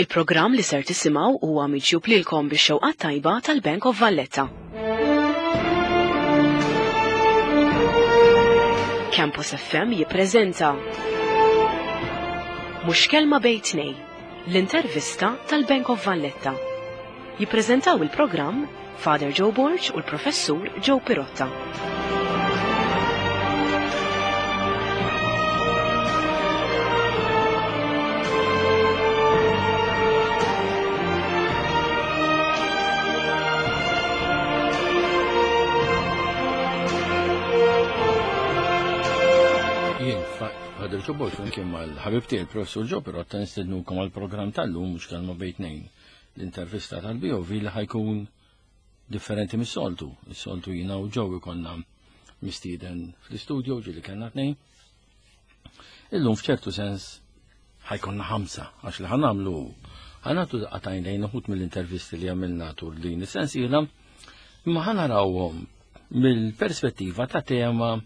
Il-programm li ser tisimgħu huwa miġjub lilkom bix-xewqat tajba tal-Bank of Valletta. Campus FM jippreżenta Mhux Kelma Bejn Tnejn, l-intervista tal-Bank of Valletta. Jippreżentaw il-programm Father Joe Borg u l-Professur Joe Pirotta. Jien, Father Joe Borg, flimkien mal-ħabib tiegħi il-Professur Joe Pirotta nistednukom għall-programm tal-lum mhux kelma bejn tnejn. L-intervista tal-BOV li ħajkun differenti mis-soltu. Is-soltu jiena u Joe ikollna mistieden fl-istudio ġieli kellna tnejn. Illum f'ċertu sens ħajkonna ħamsa għax li ħanamlu ħanatu daqatajn lejn uħut mill-intervisti li għamilna tul din is-sensiela, imma ħanarawhom mill-perspettiva ta' tema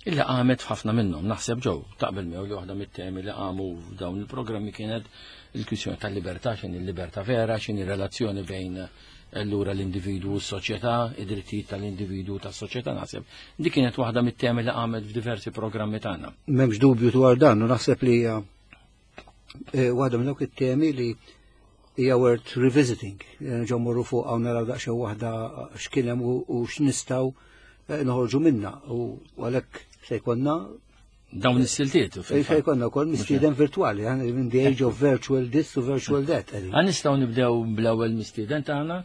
illi qamet f'ħafna minnhom. Naħseb ġew taqbel miegħu li waħda mit-temi li qamu f'dawn il-programmi kienet il-kwistjoni tal-libertà, x'inhi l-libertà vera, x'inhi relazzjoni bejn allura l-individwu u s-soċjetà, id-drittijiet tal-individwu tas-soċjetà naħseb. Dik kienet waħda mit-temi li qamet f'diversi programmi tagħna. M'hemmx dubju dwar dan, u naħseb li hija eh, waħda minn dawk it-temi li hija worth revisiting. Eh, ġew morru fuq hawn naraw daqsxejn waħda x'kien hemm u x'nistgħu eh, noħorġu minna u għalhekk se jkollna dawn is-siltiet. Se jkollna wkoll mistieden virtwali, in the age of virtual this u virtual that. Għan nistgħu nibdew bl-ewwel mistieden tagħna,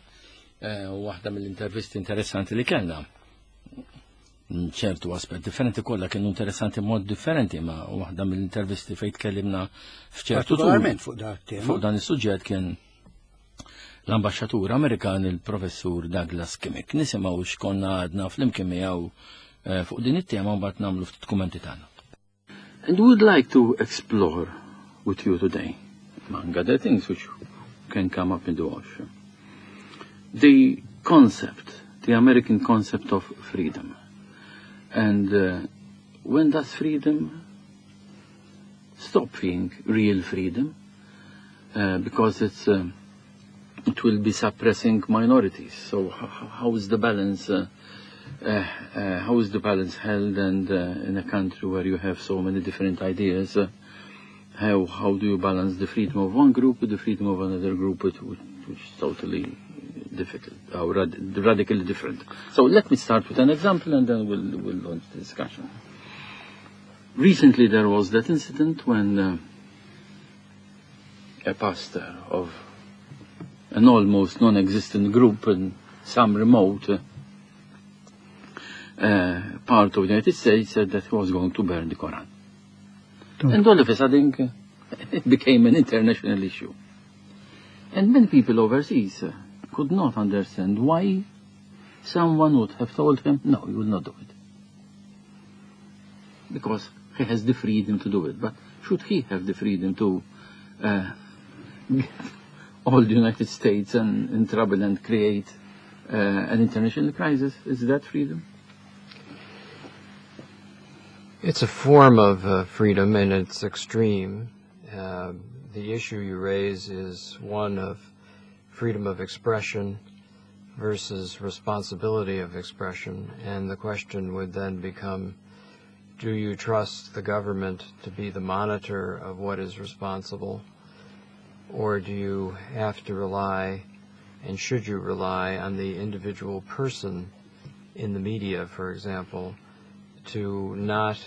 eh, waħda mill-intervisti interessanti li kellna ċertu aspett differenti kollha kienu interessanti mod differenti ma waħda mill-intervisti fejn tkellimna f'ċertu fuq dan Fuq dan is-suġġett kien l-ambaxxatur Amerikan il-professur Douglas Kimmick. Nisimgħu x'konna għadna flimkien miegħu eh, fuq din it-tema mbagħad nagħmlu ftit kummenti tagħna. And we would like to explore with you today, among other things which can come up in the wash, the concept, the American concept of freedom. And uh, when does freedom stop being real freedom? Uh, because it's uh, it will be suppressing minorities. So how is the balance? Uh, uh, uh, how is the balance held? And uh, in a country where you have so many different ideas, uh, how how do you balance the freedom of one group with the freedom of another group, which, which is totally difficult or rad radically different. So let me start with an example, and then we'll we'll launch the discussion. Recently, there was that incident when. Uh, a pastor of an almost non-existent group in some remote uh, part of the United States said that he was going to burn the Quran. And all of a sudden, it became an international issue. And many people overseas could not understand why someone would have told him, no, you will not do it. Because he has the freedom to do it. But should he have the freedom to uh, get all the United States and, in trouble and create uh, an international crisis? Is that freedom? It's a form of uh, freedom and it's extreme. Uh, the issue you raise is one of freedom of expression versus responsibility of expression, and the question would then become do you trust the government to be the monitor of what is responsible, or do you have to rely, and should you rely, on the individual person in the media, for example, to not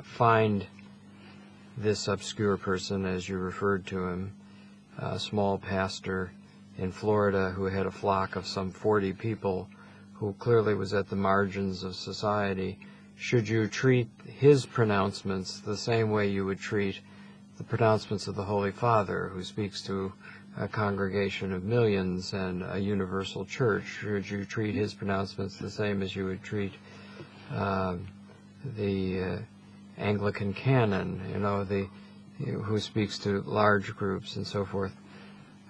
find this obscure person, as you referred to him, a small pastor in Florida who had a flock of some 40 people who clearly was at the margins of society? Should you treat his pronouncements the same way you would treat the pronouncements of the Holy Father, who speaks to a congregation of millions and a universal church? Should you treat his pronouncements the same as you would treat the Anglican canon, you know, the who speaks to large groups and so forth?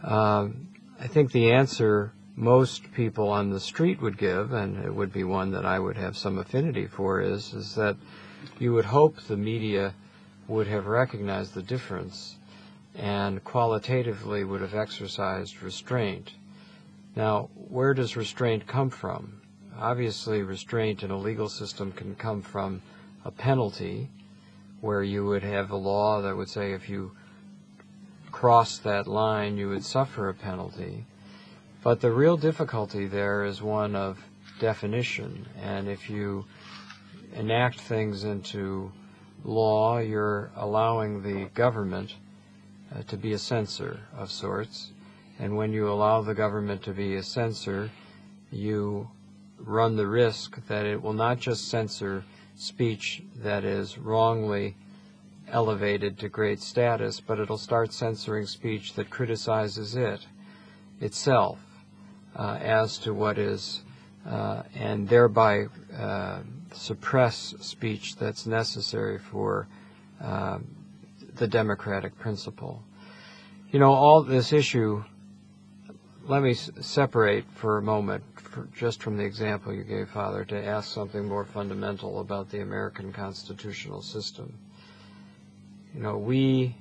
I think the answer most people on the street would give, and it would be one that I would have some affinity for, is that you would hope the media would have recognized the difference and qualitatively would have exercised restraint. Now, where does restraint come from? Obviously, restraint in a legal system can come from a penalty, where you would have a law that would say if you cross that line, you would suffer a penalty. But the real difficulty there is one of definition. And if you enact things into law, you're allowing the government to be a censor of sorts. And when you allow the government to be a censor, you run the risk that it will not just censor speech that is wrongly elevated to great status, but it'll start censoring speech that criticizes it itself as to what is, and thereby suppress speech that's necessary for the democratic principle. You know, all this issue, let me separate for a moment, just from the example you gave, Father, to ask something more fundamental about the American constitutional system. You know, we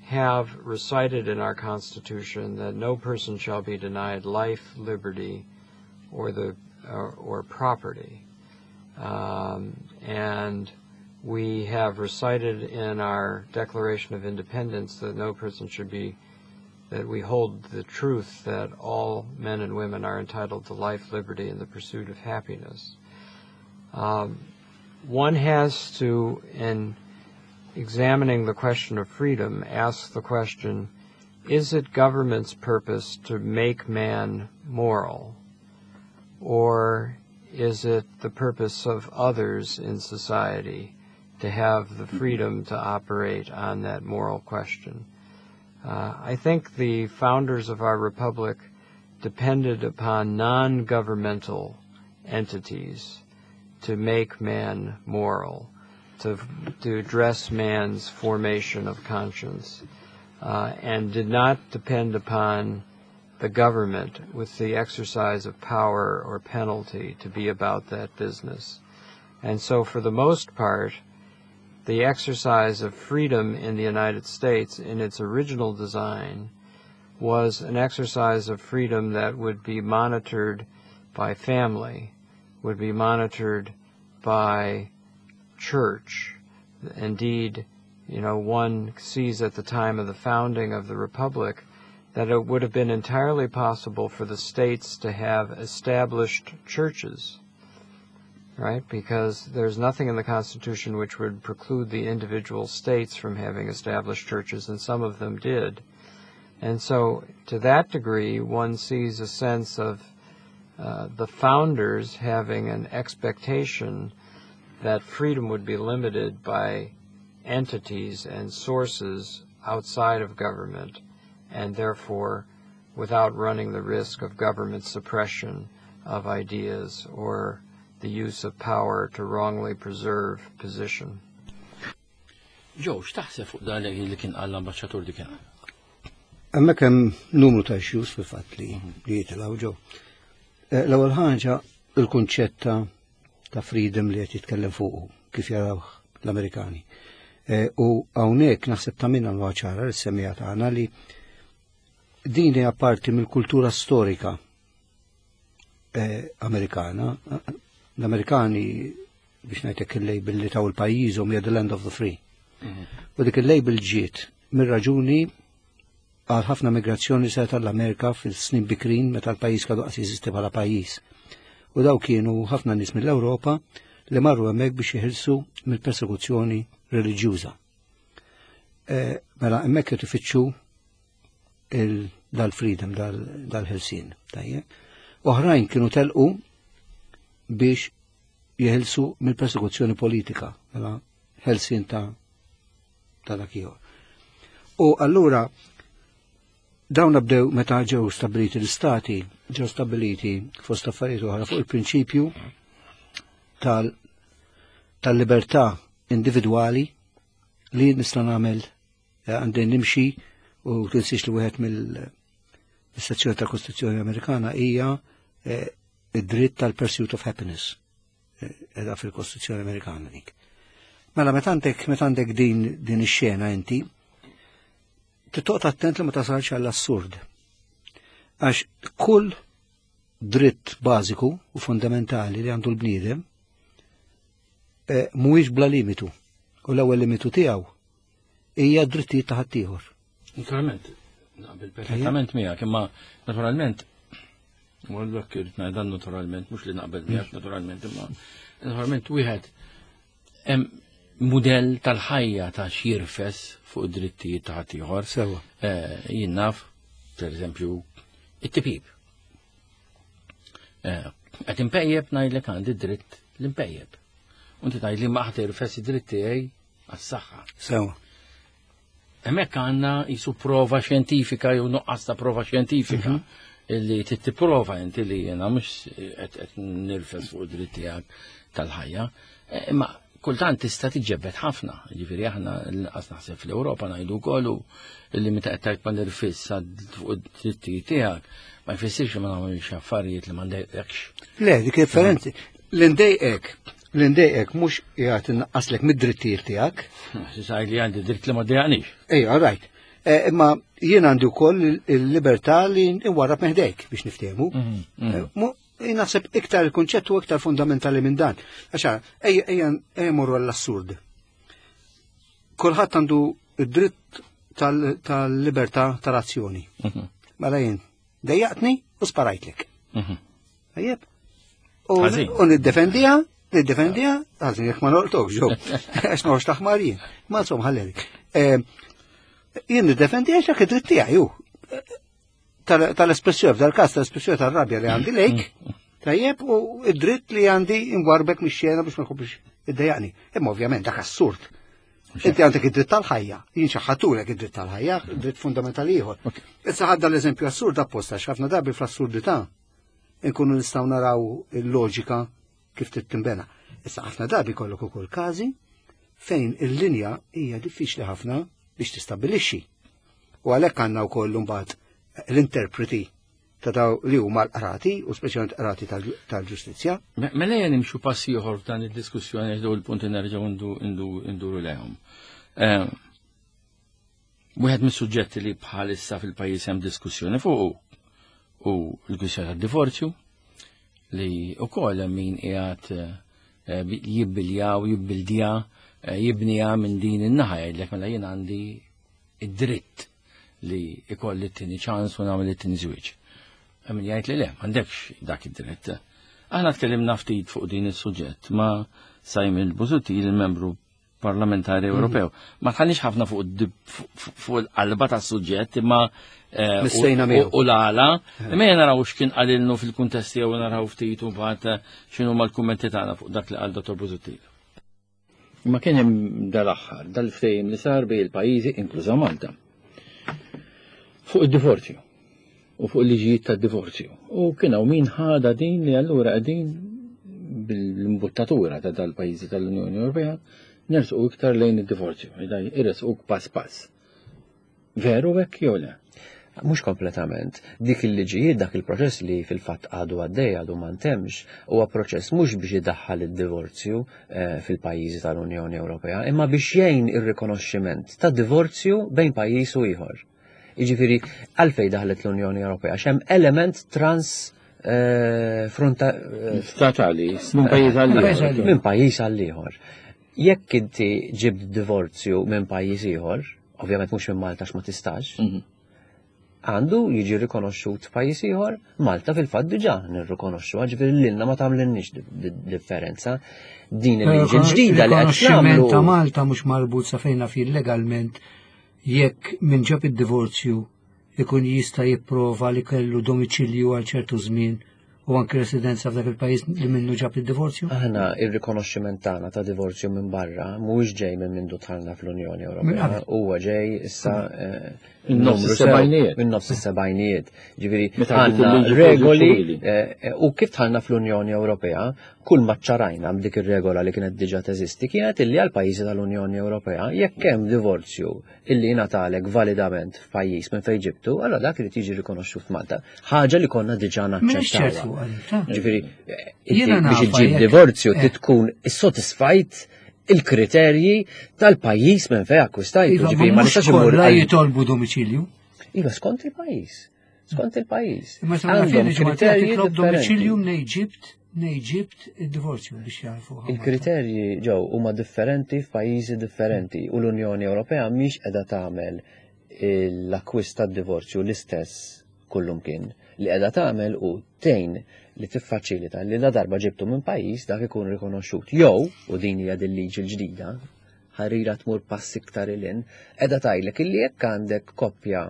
have recited in our Constitution that no person shall be denied life, liberty, or property. And we have recited in our Declaration of Independence that no person should be, that we hold the truth that all men and women are entitled to life, liberty, and the pursuit of happiness. One has to, in examining the question of freedom, ask the question, is it government's purpose to make man moral, or is it the purpose of others in society to have the freedom to operate on that moral question? I think the founders of our republic depended upon non-governmental entities to make man moral, to address man's formation of conscience, and did not depend upon the government with the exercise of power or penalty to be about that business. And so for the most part, the exercise of freedom in the United States in its original design was an exercise of freedom that would be monitored by family, would be monitored by church. Indeed, you know, one sees at the time of the founding of the Republic that it would have been entirely possible for the states to have established churches, right? Because there's nothing in the Constitution which would preclude the individual states from having established churches, and some of them did. And so, to that degree, one sees a sense of the founders having an expectation that freedom would be limited by entities and sources outside of government, and therefore without running the risk of government suppression of ideas or the use of power to wrongly preserve position. Joe, x'taħseb fuq dan li kien qal l-ambaxxatur dik? Hemmhekk hemm numru ta' issues fil-fatt li jitilgħu ġew. L-ewwel ħaġa, il-kunċett ta' freedom li qed jitkellem fuqu kif jaraw l-Amerikani. U hawnhekk naħseb ta' minna ċara l-semija tagħna li din hija parti mill-kultura storika Amerikana. L-Amerikani, biex ngħidlek, il-label li taw il-pajjiżhom hija "the land of the free". U dik il-label ġiet mir-raġuni għal ħafna migrazzjoni se tal-Amerika fil-snin bikrin meta l-pajjiż għadu qas jeżisti bħala pajjiż. U daw kienu ħafna nies mill-Ewropa li marru hemmhekk biex jeħilsu mill-persekuzzjoni reliġjuża. Mela hemmhekk qed ifittxu dal-freedom, dal-ħelsien. Tajjeb. Oħrajn kienu telqu biex jeħilsu mill-persekuzzjoni politika, mela ħelsien ta' dak ieħor. U allura dawn bdew meta ġew stabiliti l-istati, ġew stabiliti fost affarijiet oħra fuq il-prinċipju tal-libertà individwali li nista' nagħmel, għandi nimxi, u tinsiex li wieħed mill-sezzjoni tal-Kostituzzjoni Amerikana hija id-dritt tal-pursuit of happiness. Edha fil-Kostituzzjoni Amerikana dik. Mela meta għandek din ix-xena inti, Titoqgħod attent li ma tasalx għall-assurd. Għax kull dritt bażiku u fundamentali li għandu l-bniedem eh, mhuwiex bla limitu. U l-ewwel limitu tiegħu hija drittijiet ta' ħaddieħor. Naturalment, naqbel perfettament miegħek, imma naturalment u għallok irrid ngħidha naturalment, mhux li naqbel miegħek naturalment, imma naturalment wieħed hemm mudell tal-ħajja ta' x'jirfes fuq id-drittijiet ta' ħaddieħor. Sewa. Eh, jien naf, per eżempju, it-tipib. Eh, qed impejjeb ngħidlek għandi dritt l-impejjeb. U inti tgħidli ma ħadd irfes id-dritt tiegħi għas-saħħa. Sewa. Hemmhekk għandna jisu prova xjentifika jew nuqqas ta' prova xjentifika mhm. illi tittiprova inti li jiena mhux qed nirfes fuq id-dritt tiegħek tal-ħajja. Eh, imma kultant tista' tiġġebbed ħafna, ġifieri aħna l-inqas naħseb fl-Ewropa ngħidu wkoll illi meta qed tgħid ma nirfis fuq id-drittijiet tiegħek ma jfissirx li ma nagħmilx affarijiet li ma ndejqekx. Le, dik differenti. L-indejqek, l-indejqek mhux qiegħed innaqqaslek mid-drittijiet tiegħek. Sisaj li għandi dritt li ma ddejjaqnix. Ejja, right. Eh, imma jien għandi wkoll il-libertà li nwarrab meħdejk biex niftehmu. Mhm, mhm. Eh, Naħseb iktar il-kunċett huwa iktar fundamentali minn dan. Għax ejja ejja morru għall-assurd. Kulħadd għandu id-dritt tal-libertà tal-azzjoni. Mhm. Mela jien dejjaqtni u sparajtlek. Mhm. Tajjeb? U niddefendiha, niddefendiha, ħażin jekk ma noqtokx ġew. Għax noħroġ taħmar jien. Ma insomma ħallelik. Eh, jien niddefendiha x'dak id-dritt tiegħi hu tal-espressjoni, f'dal-każ tal-espressjoni tal-rabja li għandi lejk, tajjeb, u id-dritt li għandi ingwarbek mix-xena biex ma jkompli iddejjaqni. Imma ovvjament dak assurd. Inti għandek id-dritt tal-ħajja, jien xaħatulek id-dritt tal-ħajja, dritt fundamentali ieħor. Issa ħadda l-eżempju assurd apposta x'ħafna drabi fl-assurdità nkunu nistgħu naraw il-loġika kif trid tinbena. Issa ħafna drabi kollok ukoll każi fejn il-linja hija diffiċli ħafna biex tistabbilixxi. U għalhekk għandna wkoll imbagħad l-interpreti ta' daw li huma l-qrati u speċjalment qrati tal-ġustizzja. Mela jien nimxu pass ieħor f'dan id-diskussjoni għax dawn il-punti nerġgħu nduru lejhom. Eh, wieħed mis-suġġetti li bħalissa fil-pajjiż hemm diskussjoni fuq u l-kwistjoni tad-divorzju li wkoll hemm min qiegħed eh, jibbilja u jibbildja eh, jibnija minn din in-naħa jgħidlek mela jien għandi id-dritt li ikolli t-tieni ċans u nagħmel it-tieni żwieġ. Hemm min jgħid li le, m'għandekx dak id-dritt. Aħna tkellimna ftit fuq din is-suġġett ma' Simon Busuttil, il-membru parlamentari mhm. Ewropew. Ma tħallix ħafna fuq il-qalba tas-suġġett imma eh, u l-għala. Eh. Imma jena naraw x'kien qalilnu fil-kuntest jew naraw ftit u mbagħad eh, x'inhu mal-kummenti tagħna fuq dak li qal Dottor Busuttil. Ma kien hemm dal-aħħar, dal-ftehim li sar bejn il-pajjiżi inkluża Malta. Fuq id-divorzju u fuq il-liġijiet tad-divorzju. U kien hawn min ħada din li allura qegħdin bil-imbuttatura ta' dal-pajjiżi tal-Unjoni Ewropea nersqu iktar lejn id-divorzju, irresquk pass pass. Veru hekk jew le? Mhux kompletament. Dik il-liġijiet, dak il-proċess li fil-fatt għadu għaddej, għadu ma ntemx, huwa proċess mhux biex idaħħal id-divorzju eh, fil-pajjiżi tal-Unjoni Ewropea, imma biex jgħin ir-rikonoxximent ta' divorzju bejn pajjiż u ieħor. Jiġifieri għalfejn daħlet l-Unjoni Ewropea x'hemm element trans eh, fronta eh, statali minn pajjiż għal ieħor. Minn pajjiż għal ieħor. Jekk inti ġibt divorzju minn pajjiż ieħor, ovvjament mhux minn Malta ma tistax, mhm. għandu jiġi rikonoxxut f'pajjiż ieħor, Malta fil-fatt diġà nirrikonoxxu, ġifieri lilna ma tagħmlilniex differenza. Din il-liġi ġdida li qed nagħmlu. ta' Malta mhux marbut sa fejna fil legalment jekk min ġab id-divorzju ikun jista' jipprova li kellu domiċilju għal ċertu żmien u anki residenza f'dak il-pajjiż li minnu ġab id-divorzju? Aħna ir-rikonoxximent tagħna ta' divorzju minn barra mhuwiex ġej minn mindu dħalna fl-Unjoni Ewropea, huwa ġej issa eh, minn nofs is-sebgħinijiet. Minn nofs is-sebgħinijiet. Ġifieri għandna regoli eh, eh, u kif dħalna fl-Unjoni Ewropea, kull ma ċarajna b'dik ir-regola li kienet diġà teżisti kienet illi għal pajjiżi tal-Unjoni Ewropea jekk hemm divorzju illi jingħatalek validament f'pajjiż minn fejn ġibtu, allora dak irid jiġi rikonoxxut f'Malta. Ħaġa li konna diġà naċċettawha. Ġifieri, biex iġġib divorzju eh. tkun issodisfajt il-kriterji tal-pajjiż minn fejn akkwistajtu. Iva, Ġifieri ma mhux nistax immur kollha jitolbu domiċilju. Iva, skont il-pajjiż. Skont il-pajjiż. Imma sa naf Għandhom li ġimgħa titlob domiċilju differenti. mnej ġibt, mnej ġibt id-divorzju biex jarfu. Il-kriterji ġew huma differenti f'pajjiżi differenti u l-Unjoni Ewropea mhix qiegħda tagħmel l-akkwist tad-divorzju l-istess kullumkien. Li qiegħda tagħmel u tgħin li tiffaċilita li la darba ġibtu minn pajjiż dak ikun rikonoxxut. Jew, u din hija din liġi l-ġdida, ħarira tmur pass iktar ilin, qiegħda tgħidlek illi jekk għandek koppja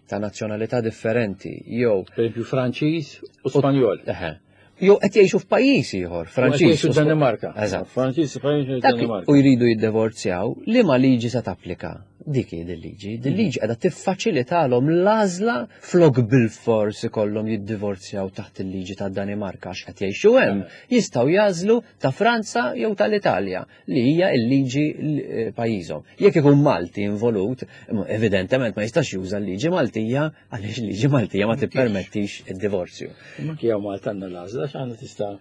ta' nazzjonalità differenti jew Per esempio Franċiż u Spanjol. Eħe. Jew qed jgħixu f'pajjiż ieħor, Franċiż. u Danimarka. Eżatt. Franċiż, Franċiż u Dak Danimarka. u jridu jiddivorzjaw, li ma liġi se tapplika? Dik hi din liġi. Din liġi qiegħda tiffaċilitalhom l-għażla flok bil-fors ikollhom jiddivorzjaw taħt il-liġi tad-Danimarka għax qed jgħixu hemm, jistgħu jażlu ta' Franza jew tal-Italja li hija l-liġi pajjiżhom. Jekk ikun Malti involut, evidentement ma jistax juża l-liġi Maltija għaliex il-liġi Maltija ma tippermettix id-divorzju. Imma anki hawn Malta għandna l-għażla x'għandna tista'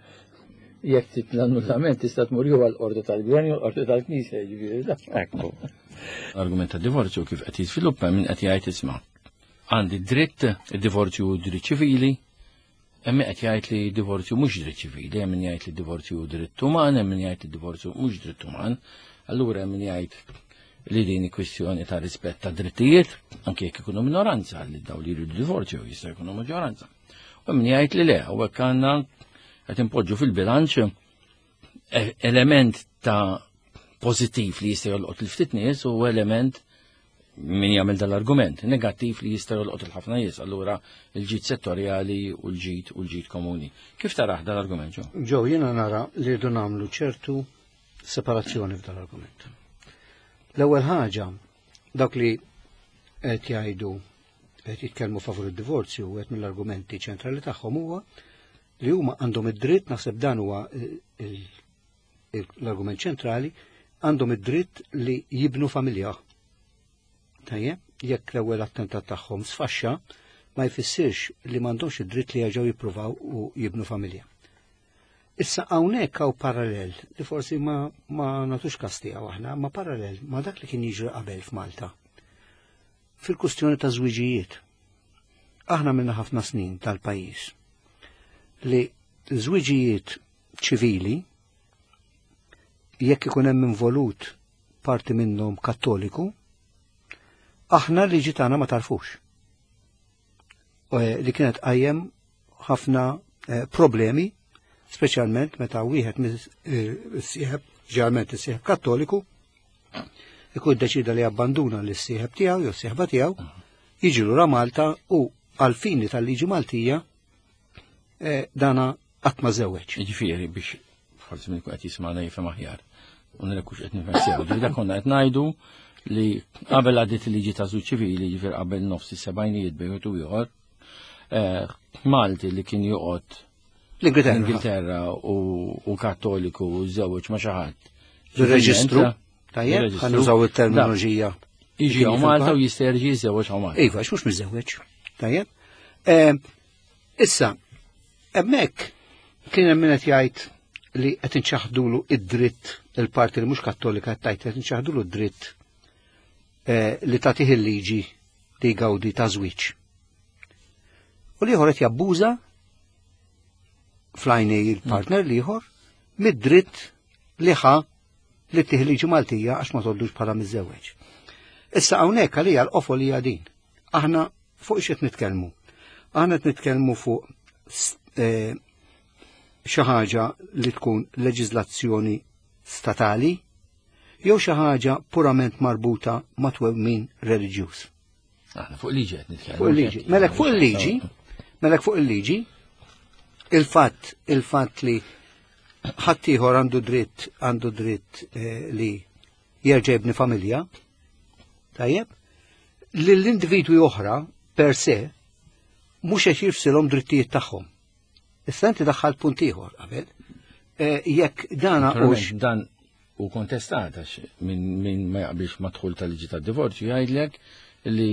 jekk trid l-annullament tista' tmur jew għall-qorti tal-gvern jew l-qorti tal-knisja, jiġifieri da. Ekku. L-argument ta' divorzju kif qed jiżviluppa min qed jgħid isma' għandi dritt, id-divorzju hu dritt ċivili, hemm min qed jgħid li divorzju mhux dritt ċivili, hemm min jgħid li divorzju hu dritt uman, hemm min jgħid li divorzju mhux dritt uman. Allura hemm min jgħid li din hi kwistjoni ta' rispett ta' drittijiet, anke jekk ikunu minoranza li daw li jridu divorzju jista' jkunu maġġoranza. U hemm min jgħid li le, u hekk għandna qed inpoġġu fil-bilanċ element ta' pożittiv li jista' jolqot il-ftit nies u element min jagħmel dal-argument negattiv li jista' jolqot il-ħafna nies, allura il-ġid settorjali u l-ġid u l-ġid komuni. Kif taraħ dal-argument, Ġo? Ġo, jiena nara li rridu nagħmlu ċertu separazzjoni f'dal-argument. L-ewwel ħaġa, dawk li qed jgħidu qed jitkellmu favur id-divorzju, wieħed mill-argumenti ċentrali tagħhom huwa li huma għandhom id-dritt, naħseb dan huwa l-argument ċentrali, għandhom id-dritt li jibnu familja. Tajjeb, jekk l-ewwel attentat tagħhom sfaxxa, ma jfissirx li m'għandhomx id-dritt li jerġgħu jippruvaw u jibnu familja. Issa hawnhekk hawn parallel li forsi ma nagħtux każ tiegħu aħna, ma parallel ma dak li kien jiġri qabel f'Malta. Fil-kustjoni ta' żwiġijiet. Aħna minna ħafna snin tal-pajjiż li żwiġijiet ċivili jekk ikun hemm involut parti minnhom kattoliku, aħna liġi tagħna ma tarfux. Li kienet qajjem ħafna problemi, speċjalment meta wieħed mis-sieħeb, ġeneralment is-sieħeb kattoliku, ikun deċida li jabbanduna lis-sieħeb tiegħu jew s-sieħba tiegħu, jiġi lura Malta u għal-fini tal-liġi Maltija dana qatt ma żewweġ. Jiġifieri biex forsi minn qed jisma'na jifhem aħjar. U nilek qed nifhem sew. Ġifieri dak konna qed ngħidu li qabel għaddiet il-liġi ta' żwieġ ċivili, ġifieri qabel nofs is-sebgħinijiet bejn wieħed u ieħor, Malti li kien joqgħod L-Ingilterra. L-Ingilterra u kattoliku u żewġ ma' xi ħadd. Fir-reġistru, tajjeb, Fir-reġistru. ħa nużaw it-terminoloġija. Jiġi hawn Malta u jista' jerġa' jiżżewweġ hawn Malta. Iva, għax mhux miżżewweġ. Tajjeb. Issa, hemmhekk kien hemm min qed jgħid li qed inċaħdulu id-dritt il-parti li mhux kattolika qed tgħid qed inċaħdulu d-dritt li tagħtih il-liġi li jgawdi ta' żwieġ. U l-ieħor qed jabbuża fl-għajnej il-partner l-ieħor mid-dritt li ħa li tih liġi Maltija għax ma toddux bħala miżżewweġ. Issa hawnhekk għalija l-qofol hija din. Aħna fuq x'qed nitkellmu? Aħna qed nitkellmu fuq xi ħaġa li tkun leġiżlazzjoni statali jew xi ħaġa purament marbuta ma' twemmin reliġjuż. Aħna fuq liġi qed nitkellmu. Fuq il-liġi. Melek fuq il-liġi, melek fuq il-liġi, il-fatt li ħaddieħor għandu dritt, għandu dritt li jerġa' jibni familja, tajjeb, li l-individwi oħra per se mhux qed jifsilhom drittijiet tagħhom. Issa inti daħħalt punt ieħor qabel. Jekk dana Naturalment, hux dan u kontestat għax min ma jaqbilx ma' dħul tal-liġi tad-divorzju jgħidlek li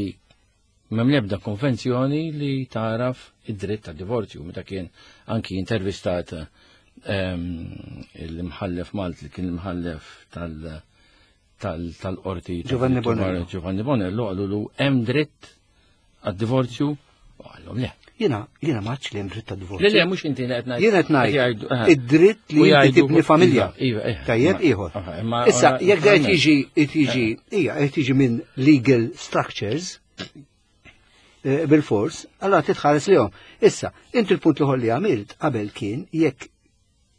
m'hemm l-ebda konvenzjoni li taraf id-dritt tad-divorzju. Meta kien anki intervistat l-imħallef Malti li kien l-imħallef tal-qorti Giovanni Bonello. Giovanni Bonello qalulu hemm dritt għad-divorzju u qallhom le. Jiena jiena m'għadx li hemm dritt għad-divorzju. Le le mhux inti li qed ngħid. Jiena qed ngħid id-dritt li inti tibni familja. Iva, iva. Tajjeb ieħor. Issa jekk qed jiġi qed jiġi hija qed jiġi minn legal structures eh, bil-fors, allora titħares lihom. Issa, inti l-punt li li għamilt qabel kien jekk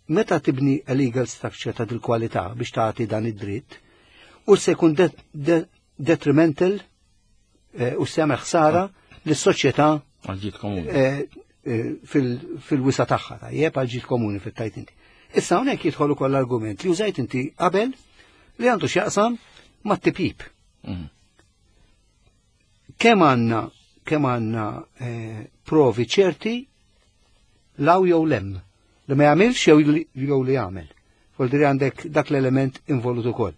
meta tibni a legal structure ta' dil-kwalità biex tagħti dan id-dritt, u se jkun detrimental eh, u se jagħmel ħsara lis-soċjetà Għal-ġid komuni. Eh, eh, fil-wisa tagħha tajjeb għal-ġid komuni fit-tajt inti. Issa hawnhekk jidħol ukoll l-argument li użajt inti qabel li għandu x'jaqsam mat-tipjip. Kemm għandna kemm għandna provi ċerti law jew lem li ma jagħmilx jew li jagħmel. Vuol għandek dak l-element involut ukoll.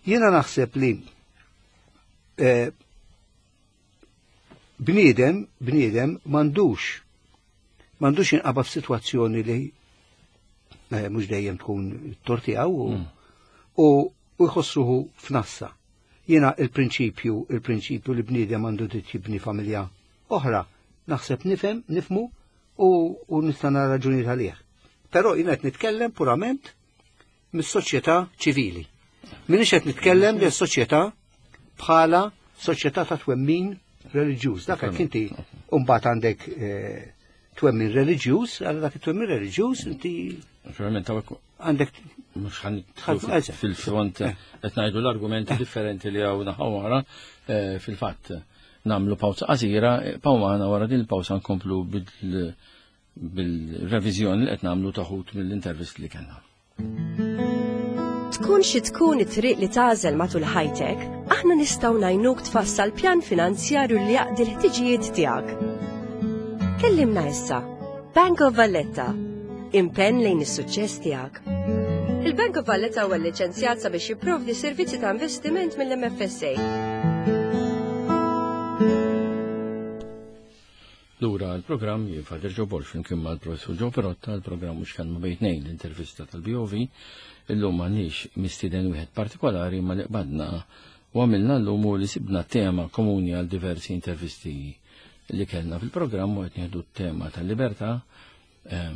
Jiena naħseb li eh, bniedem, bniedem m'għandux m'għandux jinqaba f'sitwazzjoni li eh, mhux dejjem tkun tortijaw u u jħossruħu f'nassa. Jiena il-prinċipju, il-prinċipju li bniedem għandu dritt jibni familja oħra, naħseb nifhem, nifmu u, u nista' nara raġuni għalih. Però jiena qed nitkellem purament mis-soċjetà ċivili. Minix qed nitkellem li soċjetà bħala soċjetà ta' twemmin reliġjuż. Dak hekk inti mbagħad għandek eh, twemmin reliġjuż, għal dak it-twemmin reliġjuż inti Naturalment hawnhekk għandek mhux ħan fil-front eh. qed ngħidu l-argumenti differenti li hawn naħa wara eh, fil-fatt nagħmlu pawza qasira, pawmana wara din il-pawza nkomplu bil-reviżjoni li qed nagħmlu taħut mill-intervist li kellna. Tkun xi tkun it-triq li tagħżel matul ħajtek, aħna nistgħu ngħinuk tfassal pjan finanzjarju li jaqdi l-ħtiġijiet tiegħek. Kellimna issa. Bank of Valletta. Impenn lejn is-suċċess tiegħek. Il-Bank of Valletta huwa liċenzjat sabiex jipprovdi servizzi ta' investiment mill-MFSA. Lura l-programm jien Father Joe Borg flimkien mal-Professur Joe Perotta, l-programm mhux kelma bejn tnejn l-intervista tal-BOV. Illum m'għandniex mistieden wieħed partikolari ma li qbadna u għamilna llum hu li sibna tema komuni għal diversi intervisti li kellna fil-programm u qed nieħdu t-tema tal-libertà eh,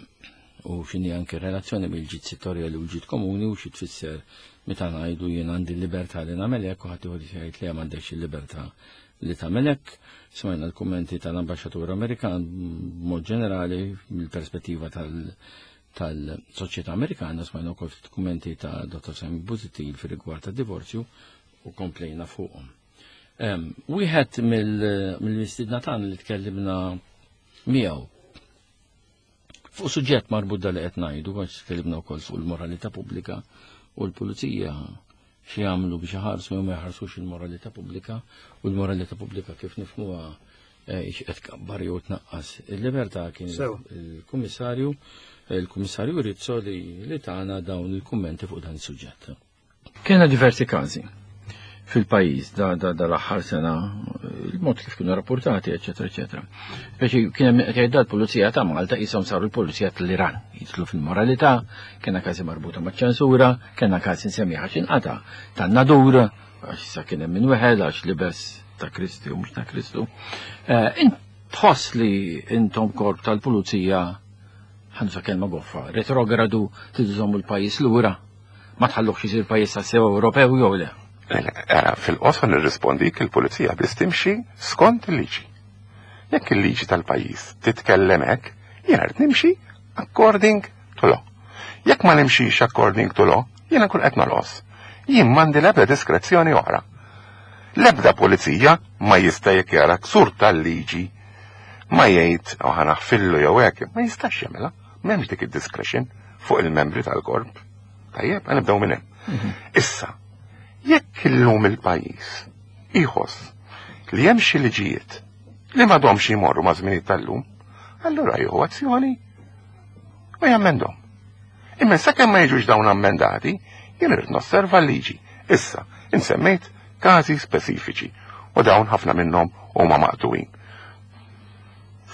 u x'inhi anke relazzjoni bil-ġid settorjali u l-ġid komuni u xi tfisser meta ngħidu jien għandi l-libertà li nagħmel hekk u ħadd ieħor jgħid li m'għandekx il-libertà li tagħmel hekk. Smajna l-kummenti tal-ambaxxatur Amerikan b'mod ġenerali mill-perspettiva tal-soċjetà Amerikana, smajna wkoll ftit kummenti ta' Dr. Simon Busuttil fir-rigward tad-divorzju u komplejna fuqhom. Wieħed mill-mistidna tagħna li tkellimna miegħu fuq suġġett marbut da li qed ngħidu għax tkellimna wkoll fuq il-moralità pubblika u l-pulizija xi jagħmlu biex iħarsu jew ma jħarsux il-moralità pubblika u l-moralità pubblika kif nifhmuha eh, qed tkabbar jew tnaqqas il-libertà kien il-kummissarju il-kummissarju Rizzo li li tagħna dawn il-kummenti fuq dan is-suġġett. Kena diversi każi fil-pajjiż da, da, da l-aħħar sena, il-mod kif kienu rapportati, eċetera, eċetera. Speċi kien hemm qed jgħid l-pulizija ta' Malta qishom saru l-pulizija tal-Iran, jidħlu fil-moralità, kena każi marbuta maċ-ċensura, kena każi nsemmi għax inqata' tan-nadur, għax issa kien hemm min weħel għax libes ta' Kristi u mhux ta' Kristu. Eh, tħoss li intom korp tal-pulizija ħansa kelma goffa, retrogradu tiżommu l-pajjiż lura. Ma tħalluhx isir pajjiż tassew Ewropew jew le? Ara, fil-qosor nirrispondik il-pulizija biss timxi skont il-liġi. Jekk il-liġi tal-pajjiż titkellem hekk, jiena rrid nimxi according to law. Jekk ma nimxix according to law, jiena nkun qed nolqos. Jien m'għandi l-ebda diskrezzjoni oħra. L-ebda pulizija ma jista' jekk jara ksur tal-liġi ma jgħid oh, ħa naħfillu jew hekk, ma jistax jagħmilha. M'hemmx dik id-discretion fuq il-membri tal-korp. Tajjeb, nibdew minn hemm. Mhm. Issa, jekk illum il-pajjiż iħoss li hemm xi liġijiet li m'għadhomx jmorru ma' żminijiet tal-lum, allura jieħu azzjoni u jammendhom. Imma sakemm ma jiġux dawn ammendati, jien irid nosserva l-liġi. Issa, insemmejt każi speċifiċi u dawn ħafna minnhom huma maqtuwin.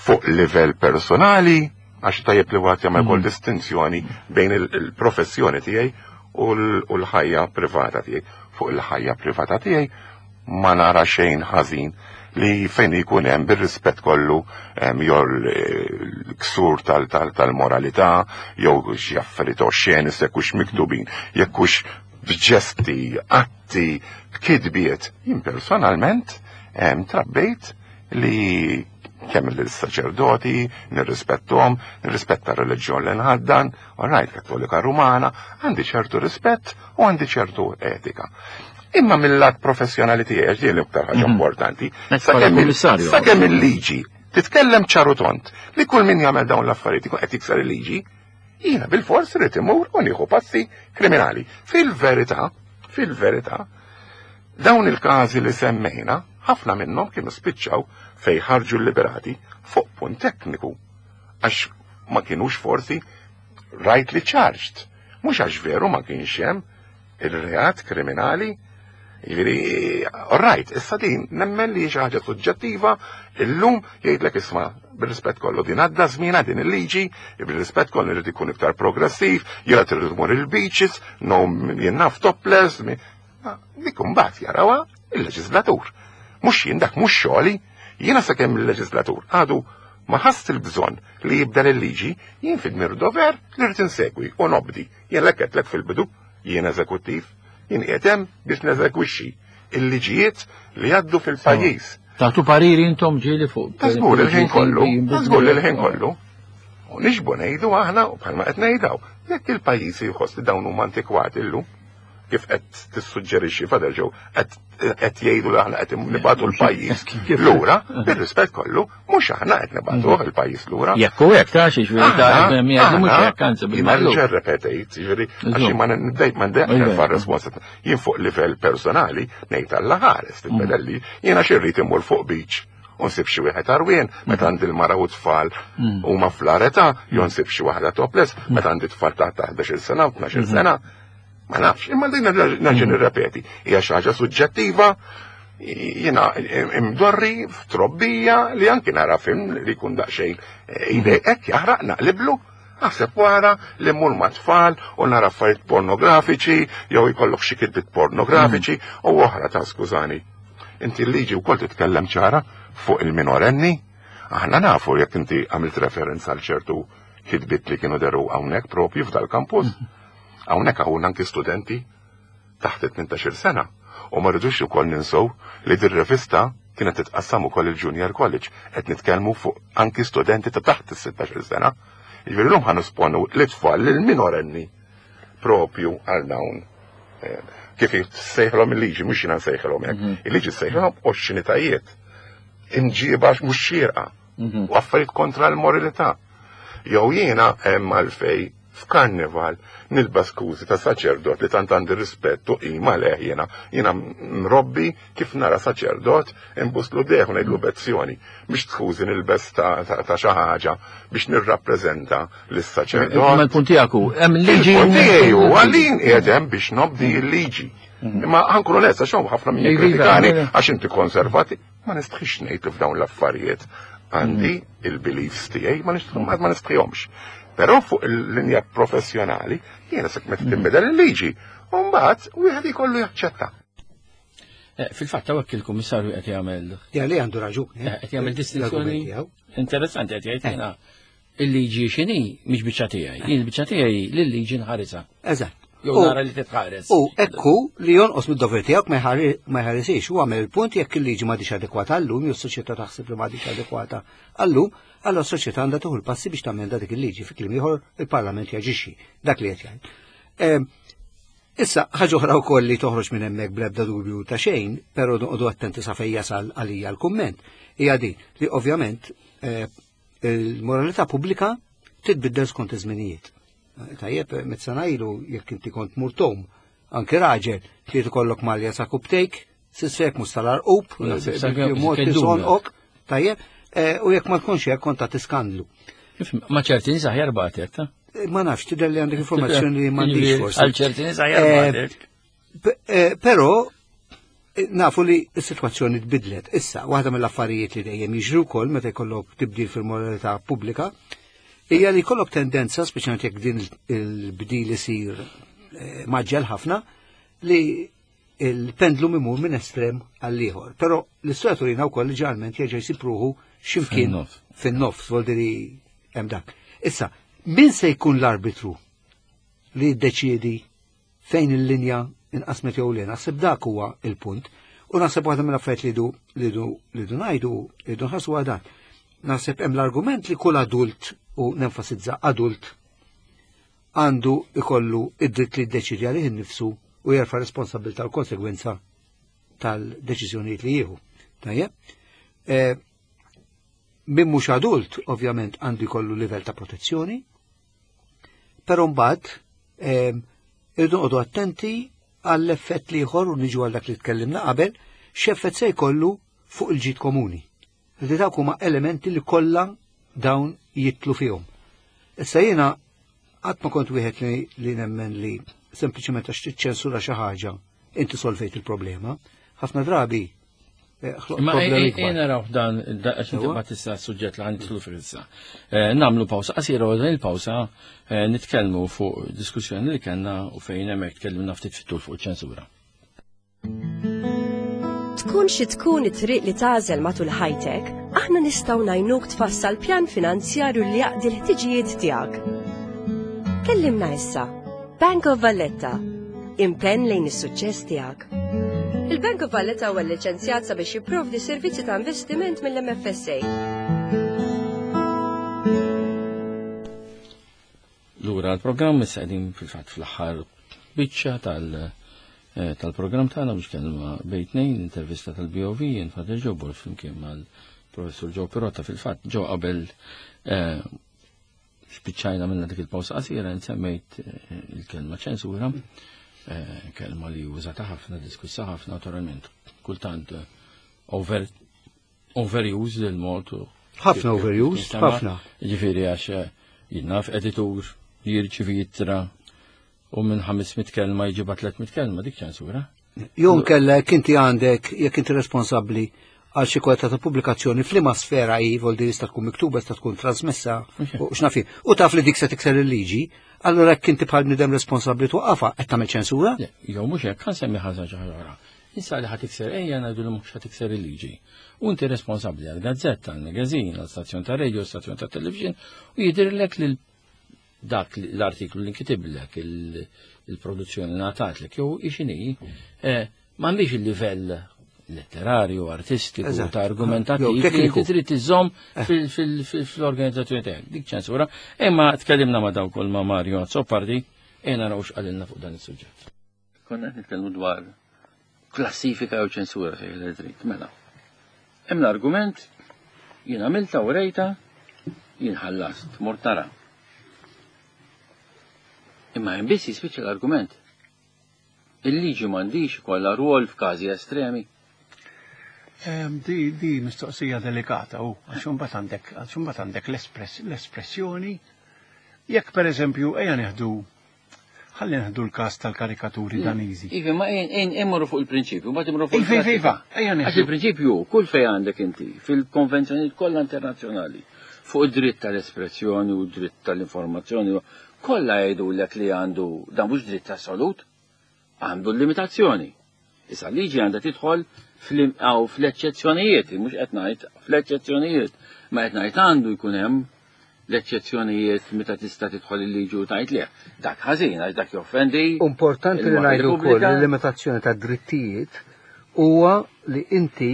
Fuq livell personali, Għax tajjeb li wieħed jagħmel ukoll distinzjoni bejn il-professjoni tiegħi u l-ħajja privata tiegħi. Fuq il-ħajja privata tiegħi ma nara xejn ħażin li fejn ikun hemm bir-rispett kollu jew l-ksur tal-moralità jew xi affarijiet oxxeni jekk hux miktubin, jekk hux b'ġesti, atti, b'kitbiet. Jien personalment trabbejt li kemm l-saċerdoti, nirrispettom, nirrispetta r-reliġjon li nħaddan, all right, Kattolika Rumana, għandi ċertu rispett u għandi ċertu etika. Imma mill-lat professjonali tiegħi, għax din l-iktar ħaġa importanti, sakemm il-liġi titkellem ċar u tond li kull min jagħmel dawn l-affarijiet ikun qed jikser il-liġi, jiena bil-fors irid imur u nieħu passi kriminali. Fil-verità, fil-verità, dawn il-każi li semmejna, ħafna minnhom kienu spiċċaw fej ħarġu liberati fuq punt tekniku, għax ma kienux forsi rightly charged. Mhux għax veru ma kienx hemm il-reat kriminali. Jiġifieri, all right, issa din nemmen li xi ħaġa suġġettiva, illum jgħidlek isma' bir-rispett kollu din għadda żmienha din il-liġi, bir-rispett kollu irid ikun iktar progressiv, jiena trid tmur il-beaches, no jien naf topless, dik imbagħad jarawha il-leġislatur. Mhux jien dak mhux xogħli, jiena sakemm il-leġislatur għadu ma ħass il-bżonn li jibdel il-liġi, jien fid-dmir dover li rrid insegwi u nobdi. Jien lek qedlek fil-bidu, jien eżekuttiv, jien qiegħed hemm biex neżegwixxi il-liġijiet li jgħaddu fil-pajjiż. Tagħtu pariri intom ġieli fuq. Ta' żgur il-ħin kollu, ta' żgur il-ħin kollu. U nixbu ngħidu aħna u bħalma qed ngħidaw, jekk il-pajjiż jħoss li dawn huma antikwati llum, kif qed tissuġġerixxi Father Joe, qed jgħidu li aħna qed nibagħtu l-pajjiż lura, bir-rispett kollu, mhux aħna qed nibagħtuh il-pajjiż lura. Jekk hu hekk ta' xi ġifieri ta' jgħidu mhux hekk, anzi bil-maqlub. Jiena repetejt, ġifieri għax ma nibdejt ma ndejt nerfa' responsabilità. Jien fuq livell personali ngħid Alla ħares tibbedelli, jiena xi rrid immur fuq beach u nsib xi wieħed għarwien meta għandi l-mara u tfal huma fl-età, jew nsib xi waħda topless meta għandi tfal ta' 11-il sena u 12-il sena. Ma nafx, imma din nerġa' nirrepeti, hija xi ħaġa suġġettiva, jiena imdorri f'trobbija li anki nara film li jkun daqsxejn jdejqek jaħraq naqliblu, aħseb wara li mmur ma' tfal u nara affarijiet pornografiċi jew jkollok xi kitbiet pornografiċi u oħra ta' skużani. Inti l-liġi wkoll titkellem ċara fuq il-minorenni, aħna nafu jekk inti għamilt referenza għal ċertu kitbiet li kienu deru hawnhekk propju f'dal-kampus. Hawnhekk hawn anki studenti taħt it-18 sena u ma rridux ukoll ninsew li dir-rivista kienet titqassam ukoll il-Junior College, qed nitkellmu fuq anki studenti ta' taħt is-16 sena. Jiġifieri llum ħa nisponu l-itfal lil minorenni propju għal dawn. Kif sejħlhom il-liġi, mhux jiena nsejħilhom hekk. Il-liġi sejħilhom oxxenitajiet, imġiba mhux xierqa u affarijiet kontra l-moralità. Jew jiena hemm għalfej f'karnival nilbes skużi ta' saċerdot li tant għandi rispett u qima leh jiena, jiena mrobbi kif nara saċerdot imbuslu deħ u ngħidlu bezzjoni, biex skużi nilbes ta' xi ħaġa biex nirrappreżenta lis-saċerdot. Imma l-punt tiegħek hu, hemm liġi. Il-punt tiegħi hu għalin qiegħed hemm biex nobdi l-liġi. Imma ħankun onest għax hawn ħafna min jikkritikani għax inti konservati, ma nistħix ngħid li f'dawn l-affarijiet għandi il-beliefs tiegħi ma nistħihomx. Però fuq il-linja professjonali jiena sekk meta tinbidel il-liġi, u mbagħad wieħed jkollu jaċċetta. Fil-fatt hawnhekk il-Kummissarju qed jagħmel Ja li għandu raġun, Qed jagħmel distinzjoni l-argument tiegħu. interessanti qed jgħid jiena il-liġi x'inhi mhix biċċa tiegħi, jien il-biċċa tiegħi lil-liġi nħarisha. Eżatt. Jew nara li titħares. U ekku li jonqos mid-dover tiegħek ma jħarisix u għamel il-punt jekk il-liġi m'għadix adekwata għallum, jew s-soċjetà taħseb li m'għadix adekwata għallum, allora s-soċjetà għandha tieħu l-passi biex tagħmel dik il-liġi, fi kliem ieħor il-Parlament jaġixxi, dak li qed jgħid. Issa, ħaġa oħra wkoll li toħroġ minn hemmhekk bl-ebda dubju ta' xejn, però noqogħdu attenti sa fejn jasal għalija l-kumment, hija din li ovvjament il-moralità pubblika titbiddel skont iż-żminijiet. Tajjeb, meta ilu jekk inti kont murtom, anke raġel, li tkollok malja sa kubtejk, sissek mhux tal-arqub, Naħseb sa kemm mod kemm tisonqok, tajjeb, u jekk ma tkunx hekk kont ta' skandlu. Ma ċerti nies aħjar bagħtek, ta? Ma nafx, tidher li għandek informazzjoni li m'għandix Jiġifieri, forsi. Għal ċerti nies aħjar bagħtek. Però nafu li s-sitwazzjoni tbidlet. Issa, waħda mill-affarijiet li dejjem jiġru wkoll meta jkollok tibdil fil-moralità pubblika, Hija li jkollok tendenza, speċjalment jekk din il-bdil isir eh, maġġel ħafna, li il-pendlum imur minn estrem għall ieħor. Però l-istorja turina wkoll li ġeneralment jerġa' jsib ruħu x'imkien fin-nofs, voldiri hemm dak. Issa, min se jkun l-arbitru li jiddeċiedi fejn il-linja inqasmet jew le? Naħseb dak huwa il-punt. U naħseb waħda mill-affarijiet li du li du li du ngħidu li du nħassu dan. Naħseb hemm l-argument li kull adult u nenfasizza adult għandu ikollu id-dritt li jiddeċidi għalih innifsu u jerfa' responsabilità l konsegwenza tal-deċiżjonijiet li jieħu. Tajjeb? Eh, min mhux adult, ovvjament, għandu jkollu livell ta' protezzjoni, però mbagħad eh, irridu noqogħdu attenti għall-effett li ieħor u niġu għal dak li tkellimna qabel, x'effett se jkollu fuq il-ġid komuni. Li dawk huma elementi li kollha dawn jitlu fihom. Issa jiena qatt ma kont wieħed li, li nemmen li sempliċement għax tiċċensura xi ħaġa inti solvejt il-problema. Ħafna drabi eh, Ma jena raw dan, għax inti ma tista' suġġett li għanditlu fil-issa. Eh, namlu pawsa, qasira u dan il-pawsa eh, nitkellmu fuq diskussjoni li kellna u fejn hemmhekk tkellimna ftit fit-tul fuq ċensura. Tkun xi tkun it-triq li tagħżel matul ħajtek, aħna nistgħu ngħinuk tfassal pjan finanzjarju li jaqdi l-ħtiġijiet tiegħek. Kellimna issa. Bank of Valletta. Impenn lejn is-suċċess tiegħek. Il-Bank of Valletta huwa liċenzjat sabiex jipprovdi servizzi ta' investiment mill-MFSA. Lura l-programm issa qegħdin fil-fatt fl-aħħar biċċa tal- eh, tal-programm tagħna biex kelma bejn tnejn intervista tal-BOV jien Father Joe Borg flimkien mal-Professur Joe Pirotta fil-fatt ġo qabel eh, spiċċajna minna dik il-pawsa qasira nsemmejt eh, il-kelma ċensura, kelma li użata ħafna, diskussa ħafna naturalment, kultant over overuse il-mod. Ħafna overuse, ħafna. Ġifieri għax eh, jinnaf editur li jirċivi jittra u minn 500 kelma jġiba 300 kelma dik ċensura. Jum kellek inti għandek jekk inti responsabbli għal xi kwalità ta' pubblikazzjoni f'liema sfera hi vol di tista' tkun miktuba, tista' tkun trasmessa u x'naf U taf li dik se tikser il-liġi, allura jekk inti bħal bniedem responsabbli twaqqafha qed tagħmel ċensura? Jew mhux hekk, ħa nsemmi ħaġa oħra. Issa li ħa tikser ejja ngħidu li mhux ħa tikser il-liġi. U inti responsabbli għal gazzetta, għal magazine, għal stazzjon ta' radio, stazzjon ta' television, u jidhirlek li dak l-artiklu li nkitiblek il-produzzjoni ngħatatlek jew ixini, eh, m'għandix il-livell letterarju, artistiku, ta' argumentattiv, li inti trid iżomm eh. fl-organizzazzjoni tiegħek. Dik ċensura. Imma tkellimna ma' dawk ma' Mario Azzopardi, e naraw x'qalilna fuq dan is-suġġett. Konna qed nitkellmu dwar klassifika jew ċensura fejn li trid. Mela. Hemm l-argument jien għamilta u rejta jien ħallast, mort nara. Imma hemm biss jispiċċa l-argument. Il-liġi m'għandix ikollha rwol f'każi estremi. Di, di mistoqsija delikata u għax imbagħad għandek għax imbagħad għandek l-espressjoni jekk pereżempju ejja nieħdu ħalli nieħdu l-każ tal-karikaturi Daniżi. Iva, ma ejn immorru fuq il-prinċipju, ma immorru fuq Iva, iva, iva, ejja nieħdu. Għax il-prinċipju kull fejn għandek inti fil-konvenzjonijiet kollha internazzjonali fuq id-dritt tal-espressjoni u d-dritt tal-informazzjoni kollha jgħidulek li għandu dan mhux dritt assolut, għandu l-limitazzjoni. Issa liġi għandha tidħol fl-eċċezzjonijiet, mhux qed ngħid fl-eċċezzjonijiet, ma qed ngħid għandu jkun hemm l-eċċezzjonijiet meta tista' tidħol il-liġi u tgħid le. Dak ħażin għax dak joffendi. Importanti li ngħidu wkoll li l-limitazzjoni ta' drittijiet huwa li inti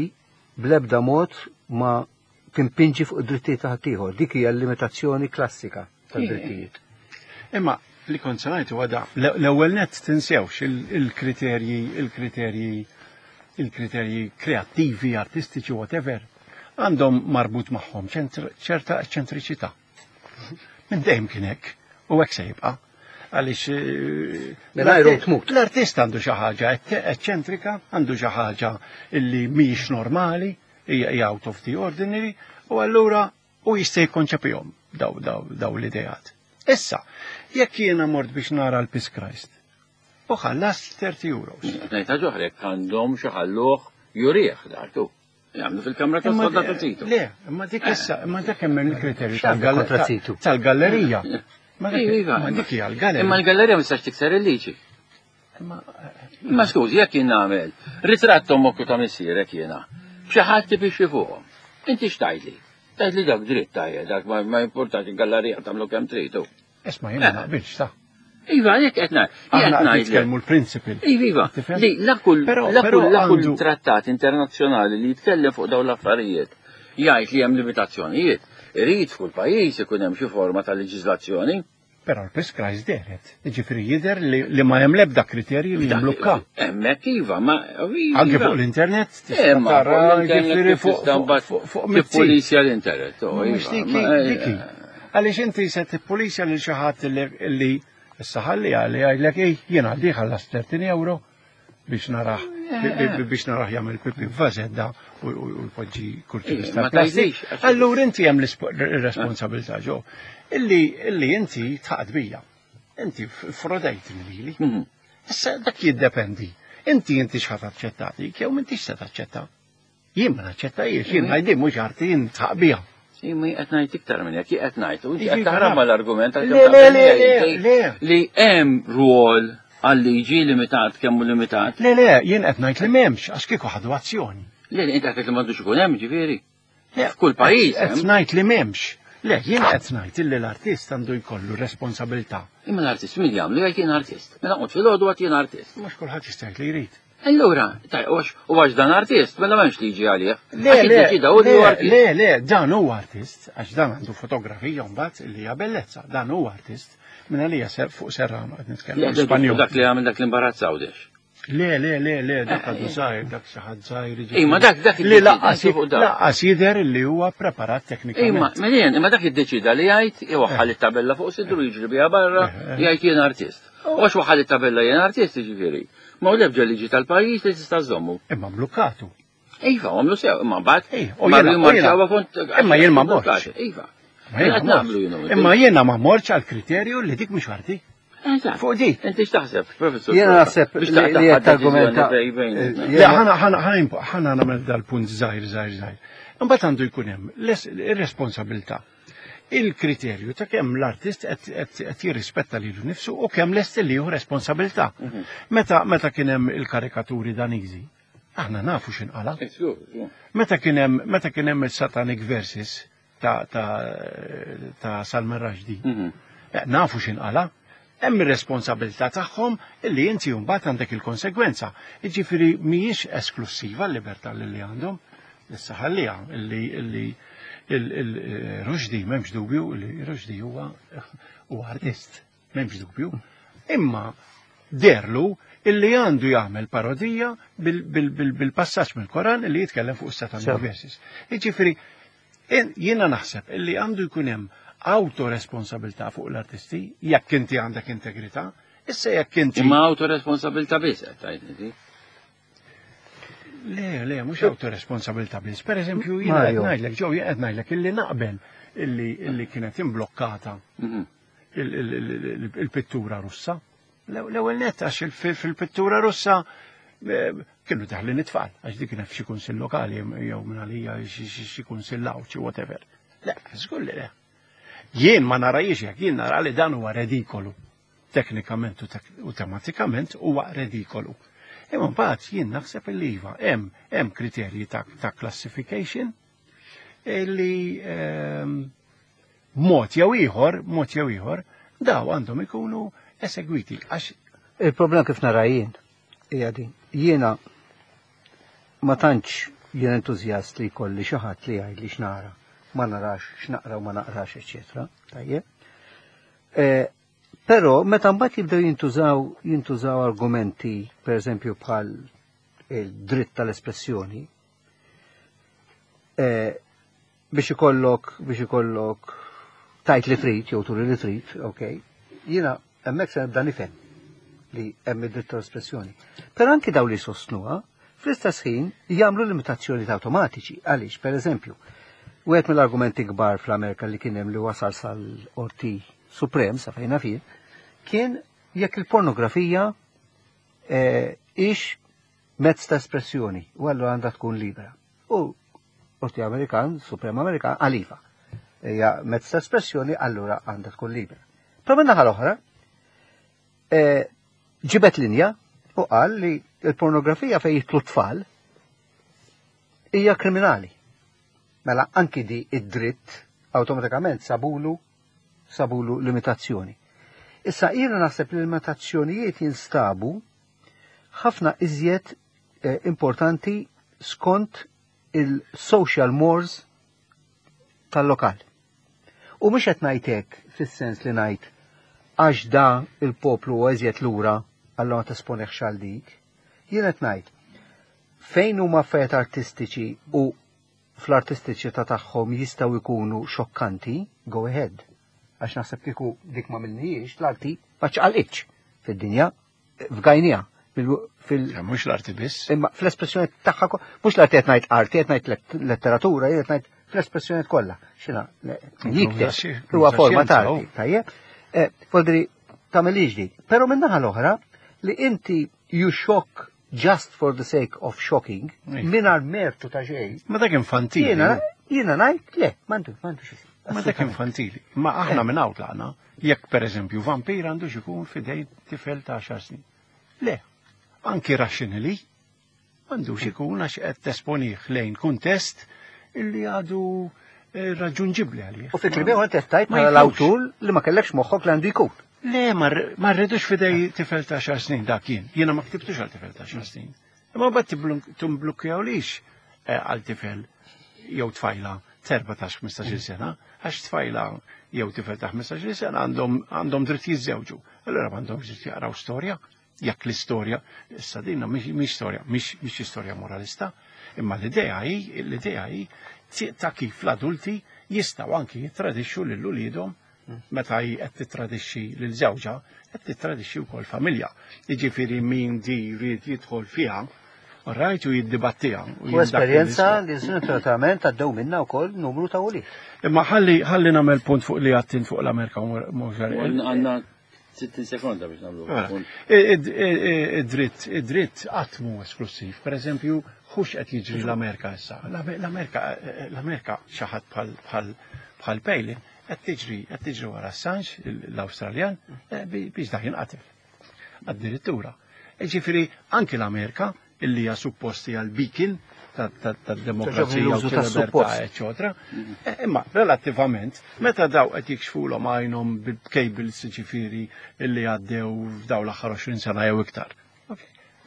bl-ebda mod ma timpinġi fuq id-drittijiet ta' ħaddieħor. Dik hija l-limitazzjoni klassika tad-drittijiet. Imma li kont se ngħid huwa da, l-ewwel nett tinsewx il-kriterji, il-kriterji, il-kriterji kreattivi, artistiċi, whatever, għandhom marbut magħhom ċerta eċċentriċità. Minn dejjem kien hekk u hekk se jibqa' għaliex eh, tmut. L-artist għandu xi ħaġa eċċentrika, għandu xi ħaġa illi mhijiex normali, hija out of the ordinary, u allura u jista' jikkonċepihom daw daw daw l-ideat. Issa, jekk jiena mort biex nara l-Piss Christ, u ħallast 30 euros. Ngħidha ġoħrek għandhom xi ħalluh jurih dartu. Jagħmlu fil-kamra ta' sodda ta' Titu. Le, imma dik issa, imma dak hemm il-kriterju tal-gallerija. Ma iva, dik hija l-gallerija. Imma l-gallerija ma tistax tikser il-liġi. Imma skużi, jekk jien nagħmel ritratt ommok u ta' missierek jiena, xi ħadd tipixxi fuqhom. Inti x'tgħidli? Tgħidli dak dritt tajjeb, dak ma importax il-gallerija tagħmlu kemm tridu. Isma' jien ma naqbilx ta'. Iva, jekk qed ngħid. Aħna nitkellmu l-principle. Iva, iva. Li la kull la kull la kull trattat internazzjonali li jitkellem fuq dawn l-affarijiet jgħid li hemm limitazzjonijiet. Irid f'kull pajjiż ikun hemm xi forma ta' leġiżlazzjoni. Però l-Peace dehret, jiġifieri jidher li ma hemm l-ebda kriterji li jimblukka. Hemmhekk iva, ma Anke fuq l-internet tista' tara jiġifieri fuq tippulisja l-internet. Oh, Mhux iva, diki. Għaliex inti se tippulisja lil xi ħadd li issa ħalli għalli jgħidlek ej jien għaldi ħallas 30 euro biex narah biex narah jagħmel pipi f'vażedda u jpoġġi kurċi ta' plastik. Allura inti hemm l-responsabilità ġo illi illi inti tħaqad bija. Inti frodejt lili. Mhm. Issa dak jiddependi. Inti inti x'ħat aċċettati, jew m'intix se taċċetta. Jien ma naċċettajiex, jien ngħid mhux arti jien tħaq biha. Imma qed ngħid iktar minn hekk, qed ngħid, u qed taħrab mal-argument Le, le, le, le, li hemm rwol għal-liġi limitat kemm hu limitat. Le, le, jien qed ngħid li m'hemmx għax kieku ħadu azzjoni. Le, le, inti qed li m'għandux ikun hemm, ġifieri. F'kull pajjiż. Qed ngħid li m'hemmx. Le, jien qed ngħid illi l-artist għandu jkollu responsabilità. Imma l-artist min jagħmlu jgħid jien artist. Mela qgħod filgħodu għad jien artist. Mhux kulħadd jista' jgħid li jrid. Allura, u għax dan artist, mela m'hemmx liġi għalih. Le, le, le, le, dan huwa artist, għax dan għandu fotografija mbagħad li hija bellezza, dan huwa artist, minn għalija fuq Serrano qed nitkellem. Spanjol. Dak li għamil dak l-imbarazz Għawdex. Le, le, le, le, dak għadu żgħir, dak xi ħadd żgħir. Imma dak dak li laqqas laqqas jidher li huwa preparat teknikament. Imma, melien, imma dak iddeċida li jgħid iwaħħal it-tabella fuq sidru jiġri biha barra, eh, eh. jgħid jien artist. U għax waħħal it-tabella jien artist jiġifieri. Ma hu l-ebda liġi tal-pajjiż li tista' żommu. Imma mblukatu. Iva, għamlu sew, imma mbagħad. Imma jien ma morx. Iva. Imma jiena ma morx għal kriterju li dik mhux arti. Fuq di. Inti x'taħseb, professur? Jiena naħseb li qed argumenta. Le, ħana ħana ħana nagħmel dal-punt żgħir żgħir żgħir. Imbagħad għandu jkun hemm ir-responsabilità il-kriterju ta' kemm l-artist qed jirrispetta lilu nnifsu u kemm lest li jieħu responsabilità. Mhm. Meta meta kien hemm il-karikaturi Daniżi, aħna nafu x'inqala. Meta kien hemm meta kien hemm il-Satanic Verses ta' ta' ta' Salman Rushdie, mhm. eh, nafu x'inqala. Hemm ir-responsabilità tagħhom illi inti mbagħad għandek il-konsegwenza. Jiġifieri mhijiex esklussiva l-libertà li għandhom. Issa ħalliha illi illi il-Rushdie m'hemmx dubju li Rushdie huwa huwa artist, m'hemmx dubju. Imma derlu illi għandu jagħmel parodija bil-passaġġ mill-Koran illi jitkellem fuq is-Satanic Verses. Jiġifieri Jiena naħseb illi għandu jkun hemm autoresponsabilità fuq l-artisti jekk inti għandek integrità, issa jekk inti. Imma autoresponsabilità biss qed tgħid inti. Le, le, mhux autoresponsabilità biss. Per eżempju, jiena qed ngħidlek, ġew jien qed ngħidlek illi naqbel illi kienet imblokkata mhm. il-pittura Russa. L-ewwel nett għax fil-pittura Russa eh, kienu daħlin it-tfal, għax dik kienet f'xi kunsill lokali jew minn għalija xi kunsill xi whatever. Le, żgur li le. Jien ma narajiex jekk jien nara li dan huwa redikolu. Teknikament u tematikament huwa redikolu. Imma mbagħad jien naħseb li iva hemm hemm kriterji ta', ta classification li ehm, B'mod jew ieħor, b'mod jew ieħor, daw għandhom ikunu esegwiti għax Il-problema kif nara jien hija din. Jiena ma tantx jien entużjast li jkolli xi ħadd li jgħidli x'nara, ma narax, x'naqra u ma naqrax, eċċetera. Tajjeb. E, però meta mbagħad jibdew jintużaw jintużaw argumenti, pereżempju bħal il-dritt tal-espressjoni, e, biex ikollok biex ikollok tajt li trid jew turi li trid, ok. Jiena hemmhekk se nibda nifhem li hemm id-dritt tal-espressjoni. Però anki daw li sostnuha, fl-istess ħin jagħmlu limitazzjoni awtomatiċi. Għaliex, per eżempju, wieħed mill-argumenti kbar fl-Amerika li kien hemm li wasal sal-Qorti Suprem sa fejna fih, kien jekk il-pornografija eh, ix mezz ta' espressjoni u allura għandha tkun libera. U Qorti Amerikan, Suprem Amerikan, qal iva. Hija mezz ta' espressjoni allura għandha tkun libera. Però min-naħa l-oħra, eh, ġibet linja u qal li l-pornografija fejn jitlu tfal hija kriminali. Mela anki di id-dritt awtomatikament sabulu sabulu limitazzjoni. Issa jiena naħseb li limitazzjonijiet jinstabu ħafna iżjed eh, importanti skont il-social mores tal-lokal. U mhux qed ngħid hekk fis-sens li ngħid għax da il-poplu huwa iżjed lura allura ma tesponihx għal dik. Jien qed ngħid fejn huma affarijiet artistiċi u fl-artistiċità tagħhom jistgħu jkunu xokkanti, go ahead. Għax naħseb kieku dik ma minnijiex l-arti ma ċaqalqitx fid-dinja, f'gajnija. Fil Mhux l-arti biss. Imma fl-espressjoni tagħha mhux l-arti qed ngħid arti, qed ngħid letteratura, qed ngħid fl-espressjoni kollha. Xina, jikteb huwa forma ta' arti, tajjeb. Eh, Voldri tagħmel dik. Però min-naħa l-oħra li inti you shock just for the sake of shocking, mingħajr mertu ta' xejn. Ma dak infantili. Jiena ngħid le, m'għandu m'għandu Ma dak infantili. Ma aħna eh. minn hawn tlaqna, jekk pereżempju vampir għandu xikun fidejn tifel ta' 10 snin. Le, anki rationally, m'għandux ikun għax qed tesponih lejn kuntest illi għadu eh, raġunġibli għalih. U fi kliem ieħor qed tgħid bħala l-awtur li ma kellekx moħħok li għandu jkun. Le, ma rridux fidej tifel ta' xar snin dak jien. Jiena ma ktibtux għal tifel ta' xar snin. Imma bat timblukkjawlix eh, għal tifel jew tfajla 14-15 sena, għax tfajla jew tifel ta' 15 sena għandhom dritt jiżżewġu. Allura m'għandhomx dritt jaqraw storja, jekk l-istorja, issa dinna mhix storja, mhix istorja moralista, imma l-idea hi, l-idea hi ta' kif l-adulti jistgħu anki jittradixxu lil uliedhom meta hi qed tittradixxi lil żewġha, qed tittradixxi wkoll familja. Jiġifieri min di jrid jidħol fiha, rajt u jiddibattiha. U esperjenza li sfortunatament għaddew minna wkoll numru ta' ulied. Imma ħalli ħalli nagħmel punt fuq li għattin fuq l-Amerika mhux Għandna 60 sekonda biex nagħmlu. Mela, id-dritt, id-dritt qatt mhu esklusiv. Per eżempju, hux qed jiġri l-Amerika issa. L-Amerika, l-Amerika xi ħadd bħal Palin qed tiġri qed tiġri wara Assange l-Awstraljan eh, biex dak jinqatel. Addirittura. Ġifieri anki l-Amerika illi hija supposti għal beacon tad-demokrazija u tal-libertà, eċetera. Eh, imma relattivament, meta daw qed jikxfulhom għajnhom bil-cables ġifieri illi għaddew f'daw l-aħħar 20 sena jew iktar.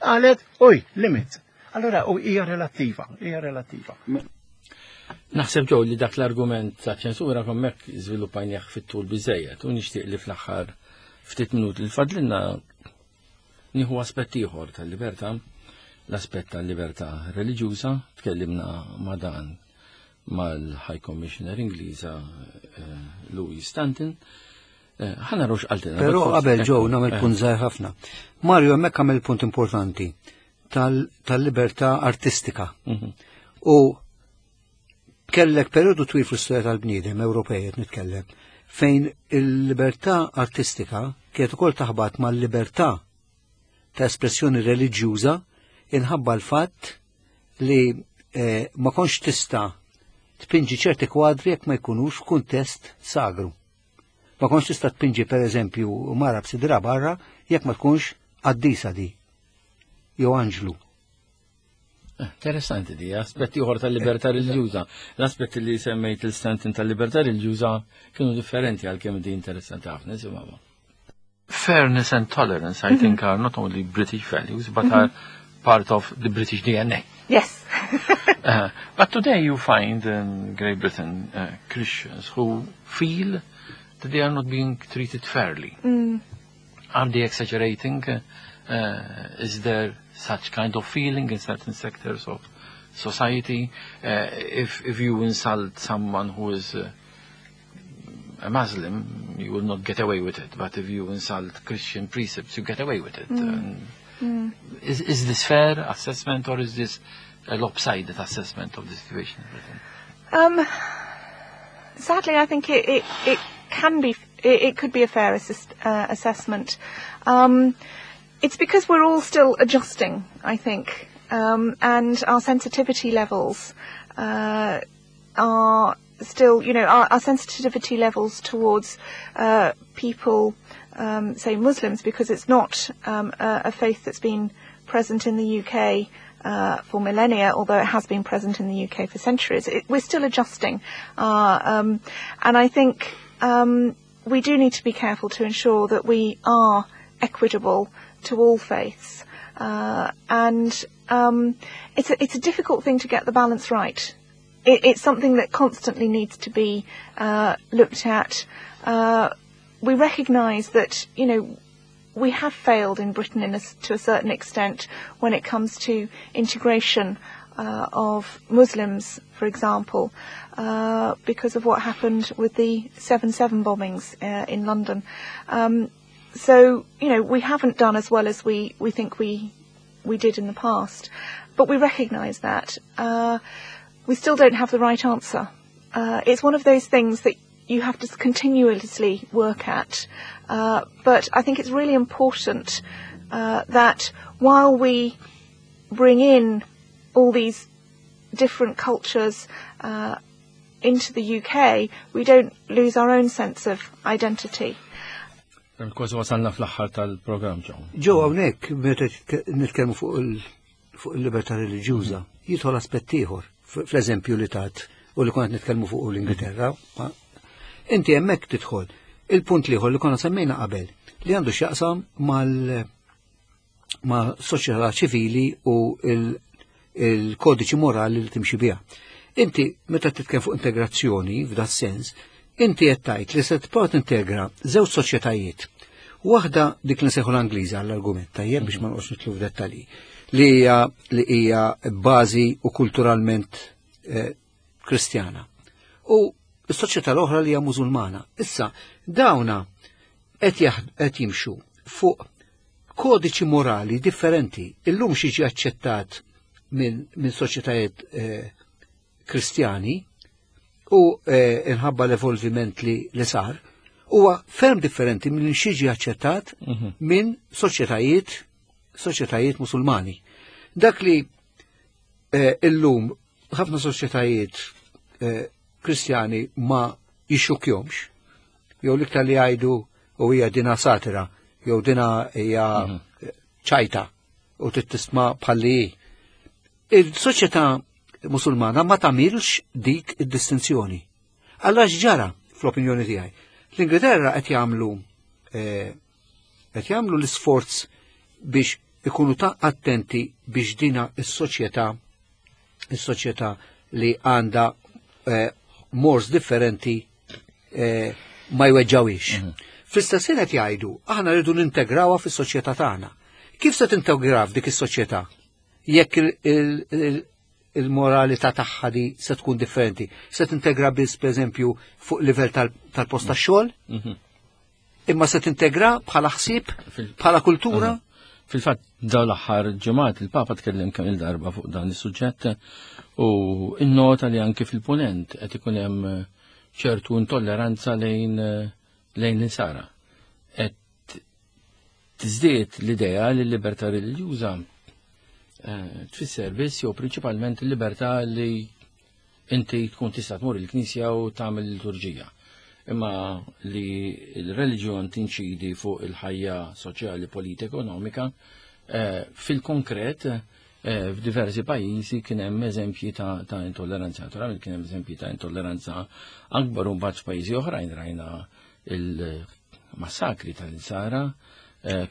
Qalet, uj, limit. Allora, u hija relattiva, hija relattiva. Naħseb ġew li dak l-argument ta' ċensura kommek żviluppajnieh fit-tul biżejjed u nixtieq li fl-aħħar ftit minuti li fadlilna nieħu aspett ieħor tal-libertà, l-aspett tal-libertà reliġjuża, tkellimna ma' dan mal-High Commissioner Ingliża eh, Louis Stanton. Eh, ħana rux qaltilna. Però qabel ġew nagħmel punt żgħir ħafna. Mario hemmhekk għamel punt importanti tal-libertà artistika. Mhm. U kellek periodu twil fl-istorja tal-bniedem Ewropej qed nitkellem fejn il-libertà artistika kienet ukoll taħbat mal-libertà ta' espressjoni reliġjuża inħabba l-fatt li eh, ma konx tista' tpinġi ċerti kwadri jekk ma jkunux f'kuntest sagru. Ma konx tista' tpinġi pereżempju mara b'sidra barra jekk ma tkunx qaddisa di jew anġlu. Interessanti di, aspetti oħra tal-libertà reliġjuża. L-aspetti li semmejt il-stantin tal-libertà reliġjuża kienu differenti għalkemm di interessanti ħafna, nisimgħu. Fairness and tolerance, I mm -hmm. think, are not only British values, but mm -hmm. are part of the British DNA. Yes. but today you find in Great Britain Christians who feel that they are not being treated fairly. Are they exaggerating? Is there such kind of feeling in certain sectors of society? If, if you insult someone who is a Muslim, you will not get away with it. But if you insult Christian precepts, you get away with it. Mm. Is, is this fair assessment or is this a lopsided assessment of the situation in Britain? Sadly, I think it, it, it can be, it, it could be a fair assist, assessment. It's because we're all still adjusting, I think, and our sensitivity levels. are still, you know, our, our sensitivity levels towards people, say Muslims, because it's not a, a faith that's been present in the UK for millennia, although it has been present in the UK for centuries. It, we're still adjusting. And I think we do need to be careful to ensure that we are equitable to all faiths. And it's, a, it's a difficult thing to get the balance right. It, it's something that constantly needs to be looked at. We recognise that, you know, we have failed in Britain in a, to a certain extent when it comes to integration of Muslims, for example, because of what happened with the 7-7 bombings in London. So, you know, we haven't done as well as we, we think we, we did in the past, but we recognise that. We still don't have the right answer. It's one of those things that you have to continuously work at. But I think it's really important that while we bring in all these different cultures into the UK, we don't lose our own sense of identity. Kważi wasalna fl-aħħar tal-programm ġew. Ġew hawnhekk meta nitkellmu fuq il-libertà reliġjuża, jidħol aspett ieħor fl-eżempju li tat u li konna nitkellmu fuq l-Ingilterra. Inti hemmhekk tidħol il-punt l-ieħor li konna semmejna qabel li għandu x'jaqsam mal ma' soċjetà ċivili u il-kodiċi morali li timxi biha. Inti meta titkellem fuq integrazzjoni f'da sens, inti qed tgħid li se tipprova tintegra żewġ soċjetajiet. Waħda dik li nsejħu l-Angliża għall-argument tajjeb biex ma noqgħodx nidħlu f'dettalji li hija li hija bażi u kulturalment Kristjana. U s-soċjetà l-oħra li hija Musulmana. Issa dawna qed jimxu fuq kodiċi morali differenti. Illum xi aċċettat minn min soċjetajiet Kristjani u inħabba l-evolviment li, li sar, huwa ferm differenti minn xiġi aċċettat minn soċjetajiet soċjetajiet musulmani. Dak li illum ħafna soċjetajiet Kristjani ma jixxukjomx, jew l-iktar li jgħidu u hija dina satira, jew dina hija ċajta u tittisma bħalli hi. Il-soċjetà musulmana ma tagħmilx dik id-distinzjoni. Alla ġara fl-opinjoni tiegħi. L-Ingilterra qed jagħmlu qed jagħmlu l-isforz biex ikunu ta' attenti biex dina is-soċjetà is-soċjetà li għandha mors differenti ma jweġġawix. Fl-istess ħin qed jgħidu aħna rridu nintegrawha fis-soċjetà tagħna. Kif se tintegra f'dik is-soċjetà? Jekk il-moralità tagħha di se tkun differenti. Se tintegra biss pereżempju fuq livell tal-post tax-xogħol? Imma se tintegra bħala ħsieb, bħala kultura? Fil-fatt dawn l-aħħar ġimgħat il-Papa tkellem kemm il-darba fuq dan is-suġġett u innota li anki fil-punent qed ikun hemm ċertu intolleranza lejn lejn l-insara. Qed tiżdied l-idea li l-libertà reliġjuża tfisser biss jew prinċipalment il-libertà li inti tkun tista' tmur il-knisja u tagħmel liturġija. Imma li l-reliġjon tinċidi fuq il-ħajja soċjali, politika, ekonomika, fil-konkret f'diversi pajjiżi kien hemm eżempji ta', ta intolleranza. Naturalment kien hemm eżempji ta' intolleranza akbar u mbagħad f'pajjiżi oħrajn rajna il-massakri tal-insara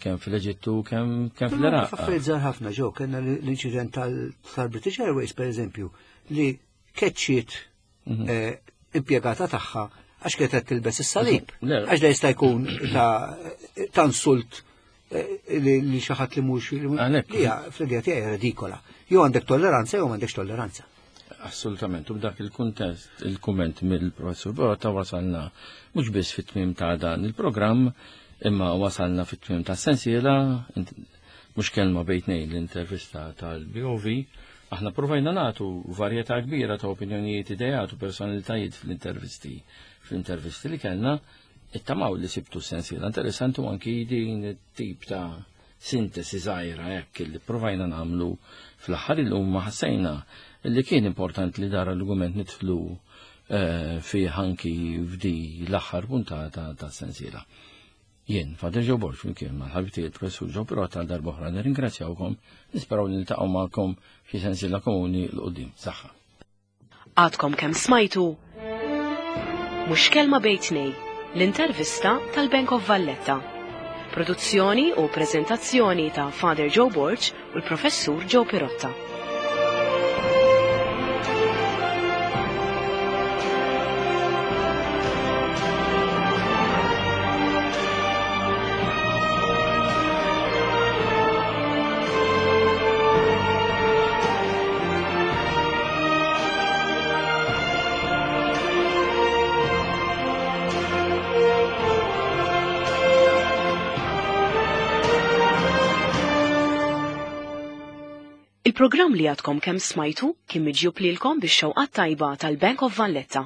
kemm fil-Eġittu kemm kemm fl-Iraq. Affarijiet żgħar ħafna ġew kellna l-inċident tal-British Airways pereżempju li keċċiet impjegata tagħha għax kienet qed tilbes is-salib. Għax da jista' jkun ta' ta' insult li xi ħadd li mhux Għalhekk. li hija fl-idea tiegħi redikola. Jew għandek tolleranza jew m'għandekx tolleranza. Assolutament, u b'dak il-kuntest, il-kumment mill-professur Borota wasalna mhux biss fit-tmiem ta' dan il-programm, imma wasalna fit-tmiem ta' sensiela, mhux kelma bejn tnejn l-intervista tal-BOV, aħna provajna nagħtu varjetà kbira ta' opinjonijiet, ideat u personalitajiet fl-intervisti fl-intervisti li kellna, ittamaw li sibtu sensiela interessanti u anki din it-tip ta' sintesi żgħira hekk li provajna nagħmlu fl-aħħar illum ma ħassejna li kien importanti li dar argument nidħlu eh, fi ħanki f'di l-aħħar puntata ta' sensiela. Jien, Father Joe Borg, flimkien mal-ħabib tiegħi il-Professur Joe Pirotta għal darb'oħra nirringrazzjawkom, nisperaw li niltaqgħu magħkom f'xi sensiela komuni 'l quddiem. Saħħa. Għadkom kemm smajtu Mhux Kelma Bejn Tnej, l-intervista tal-Bank of Valletta. Produzzjoni u preżentazzjoni ta' Father Joe Borg u l-Professur Joe Pirotta. Il-programm li għadkom kemm smajtu kien miġjub lilkom bix-xewqat tajba tal-Bank of Valletta.